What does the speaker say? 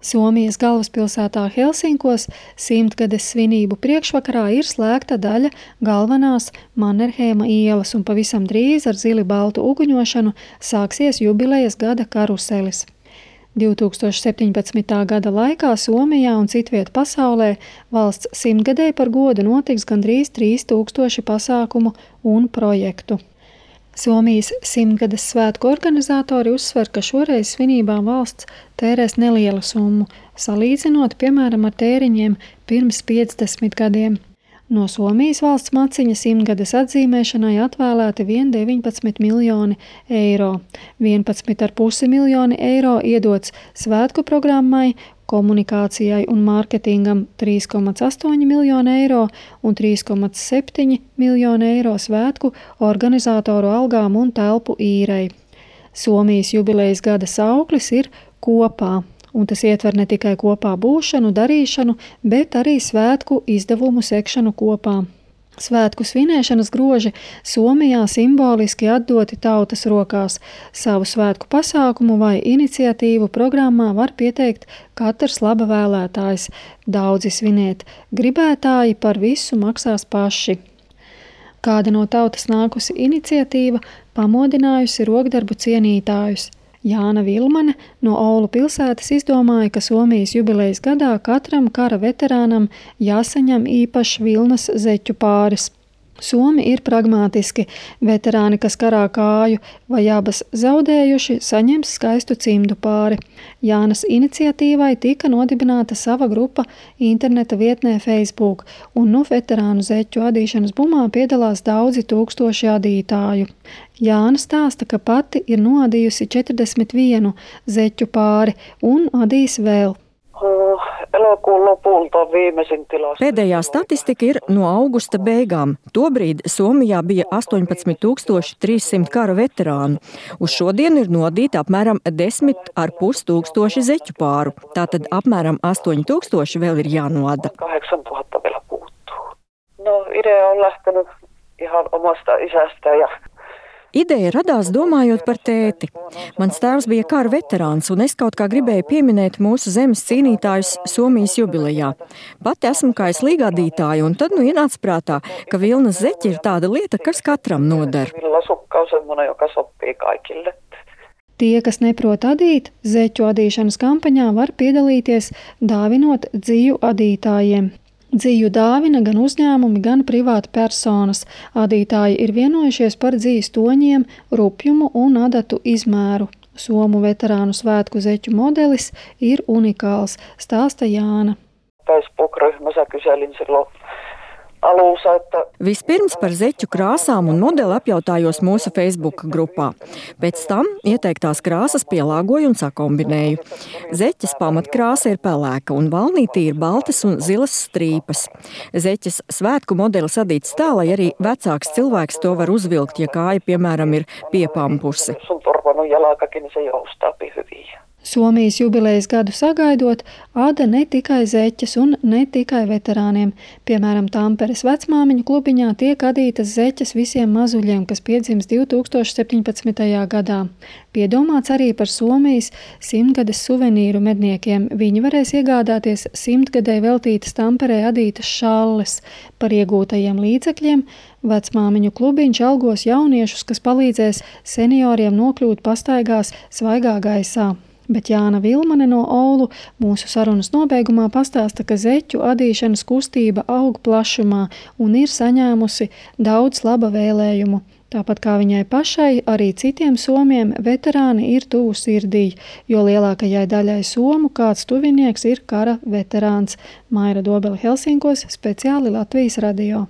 Somijas galvaspilsētā Helsinkos 100-gades svinību priekšvakarā ir slēgta daļa galvenās Mannerheima ielas un pavisam drīz ar zili baltu uguņošanu sāksies jubilejas gada karuselis. 2017. gada laikā Somijā un citviet pasaulē valsts 100-gadei par godu notiks gandrīz 3000 pasākumu un projektu. Somijas 100-gades svētku organizatori uzsver, ka šoreiz svinībām valsts tērēs nelielu summu, salīdzinot, piemēram, ar tēriņiem pirms 50 gadiem. No Somijas valsts maciņa 100-gades atzīmēšanai atvēlēti vien 19 miljoni eiro. 11,5 miljoni eiro iedots svētku programmai, komunikācijai un mārketingam 3,8 miljoni eiro un 3,7 miljoni eiro svētku organizatoru algām un telpu īrei. Somijas jubilejas gada sauklis ir kopā, un tas ietver ne tikai kopā būšanu, darīšanu, bet arī svētku izdevumu sekšanu kopā. Svētku svinēšanas groži Somijā simboliski atdoti tautas rokās. Savu svētku pasākumu vai iniciatīvu programmā var pieteikt katrs laba vēlētājs. Daudzi svinēt gribētāji par visu maksās paši. Kāda no tautas nākusi iniciatīva pamodinājusi rokdarbu cienītājus. Jāna Vilmane no Oulu pilsētas izdomāja, ka Somijas jubilejas gadā katram kara veterānam jāsaņem īpašs vilnas zeķu pāris. Somi ir pragmātiski. Veterāni, kas karā kāju vai abas zaudējuši, saņems skaistu cimdu pāri. Jānas iniciatīvai tika nodibināta sava grupa interneta vietnē Facebook, un veterānu zeķu adīšanas bumā piedalās daudzi tūkstoši adītāju. Jāna stāsta, ka pati ir noadījusi 41 zeķu pāri un adīs vēl. Pēdējā statistika ir no augusta beigām. Tobrīd Somijā bija 18,300 kara veterānu. Uz šodienu ir nodīti apmēram 10,5 tūkstoši zeķu pāru. Tātad apmēram 8,000 vēl ir jānoda. 8,000 vielä puuttuu. No, idea on lähtenyt ihan omasta isästä ja Ideja radās domājot par tēti. Mans tēvs bija kara veterāns, un es kaut kā gribēju pieminēt mūsu zemes cīnītājus Somijas jubilejā. Pati esmu kā slīgādītāja, un tad ienāca prātā, ka vilnas zeķi ir tāda lieta, kas katram noder. Villasukka on semmoinen, joka sopii kaikille. Tie, kas neprot adīt, zeķu adīšanas kampaņā var piedalīties, dāvinot dziju adītājiem. Dziju dāvina gan uzņēmumi, gan privāti personas. Adītāji ir vienojušies par dzijas toņiem, rupjumu un adatu izmēru. Somu veterānu svētku zeķu modelis ir unikāls, stāsta Jāna. Facebook-ryhmässä kyselin silloin alussa, että Vispirms par zeķu krāsām un modeli apjautājos mūsu Facebook grupā. Pēc tam ieteiktās krāsas pielāgoju un sakombinēju. Zeķes pamatkrāsa ir pelēka un valnītī ir baltas un zilas strīpas. Zeķes svētku modelis adīts tā, lai arī vecāks cilvēks to var uzvilkt, ja kāja, piemēram, ir piepampusi. sun turvannut jalakakin, niin se joustaapi hyvin. Somijas jubilejas gadu sagaidot, ada ne tikai zeķes un ne tikai veterāniem. Piemēram, Tamperes vecmāmiņu klubiņā tiek adītas zeķes visiem mazuļiem, kas piedzims 2017. gadā. Piedomāts arī par Somijas 100-gades suvenīru medniekiem. Viņi varēs iegādāties 100-gadei veltītas Tamperē adītas šalles. Par iegūtajiem līdzekļiem vecmāmiņu klubiņš algos jauniešus, kas palīdzēs senioriem nokļūt pastaigās svaigā gaisā. Bet Jāna Vilmane no Oulu mūsu sarunas nobeigumā pastāsta, ka zeķu adīšanas kustība aug plašumā un ir saņēmusi daudz laba vēlējumu. Tāpat kā viņai pašai, arī citiem somiem veterāni ir tuvu sirdī, jo lielākajai daļai somu kāds tuvinieks ir kara veterāns. Maira Dobele, Helsinkos, speciāli Latvijas radio.